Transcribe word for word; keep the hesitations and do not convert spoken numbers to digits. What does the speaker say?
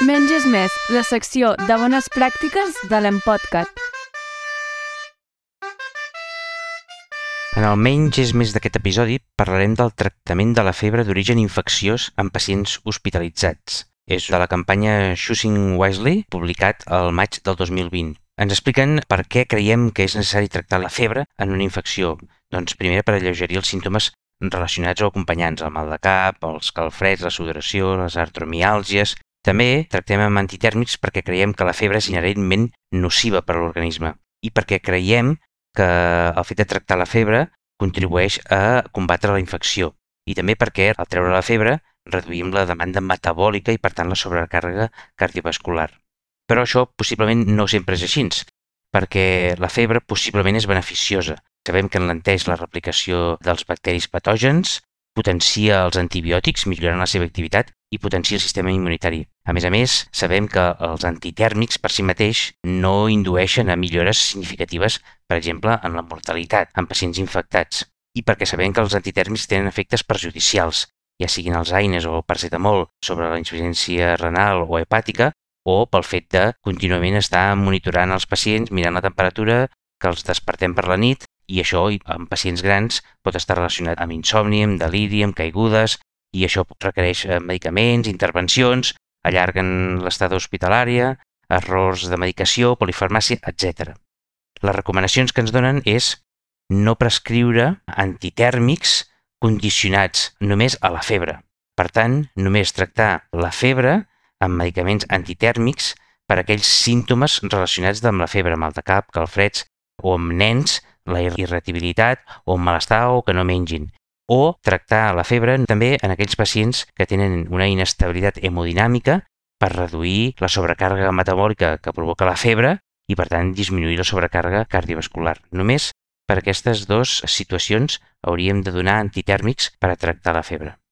Menys és més, la secció de bones pràctiques de l'Empodcat. En el menys és més d'aquest episodi parlarem del tractament de la febre d'origen infecciós en pacients hospitalitzats. És de la campanya Choosing Wisely, publicat al maig del dos mil vint. Ens expliquen per què creiem que és necessari tractar la febre en una infecció. Doncs primer per alleugerir els símptomes relacionats o acompanyants, el mal de cap, els calfreds, la sudoració, les artromiàlgies. També tractem amb antitèrmics perquè creiem que la febre és inherentment nociva per a l'organisme i perquè creiem que el fet de tractar la febre contribueix a combatre la infecció i també perquè al treure la febre reduïm la demanda metabòlica i per tant la sobrecàrrega cardiovascular. Però això possiblement no sempre és així, perquè la febre possiblement és beneficiosa. Sabem que enlenteix la replicació dels bacteris patògens, potencia els antibiòtics millorant la seva activitat i potencia el sistema immunitari. A més a més, sabem que els antitèrmics per si mateix no indueixen a millores significatives, per exemple, en la mortalitat en pacients infectats. I perquè sabem que els antitèrmics tenen efectes perjudicials, ja siguin els AINES o el paracetamol sobre la insuficiència renal o hepàtica, o pel fet de contínuament estar monitorant els pacients, mirant la temperatura, que els despertem per la nit, i això en pacients grans pot estar relacionat amb insomni, amb deliri, amb caigudes, i això requereix medicaments, intervencions, allarguen l'estada hospitalària, errors de medicació, polifarmàcia, etcètera. Les recomanacions que ens donen és no prescriure antitèrmics condicionats només a la febre. Per tant, només tractar la febre amb medicaments antitèrmics per a aquells símptomes relacionats amb la febre, mal de cap, calfreds, o amb nens, la irritabilitat, o amb malestar o que no mengin. O tractar la febre també en aquells pacients que tenen una inestabilitat hemodinàmica per reduir la sobrecàrrega metabòlica que provoca la febre i, per tant, disminuir la sobrecàrrega cardiovascular. Només per aquestes dues situacions hauríem de donar antitèrmics per a tractar la febre.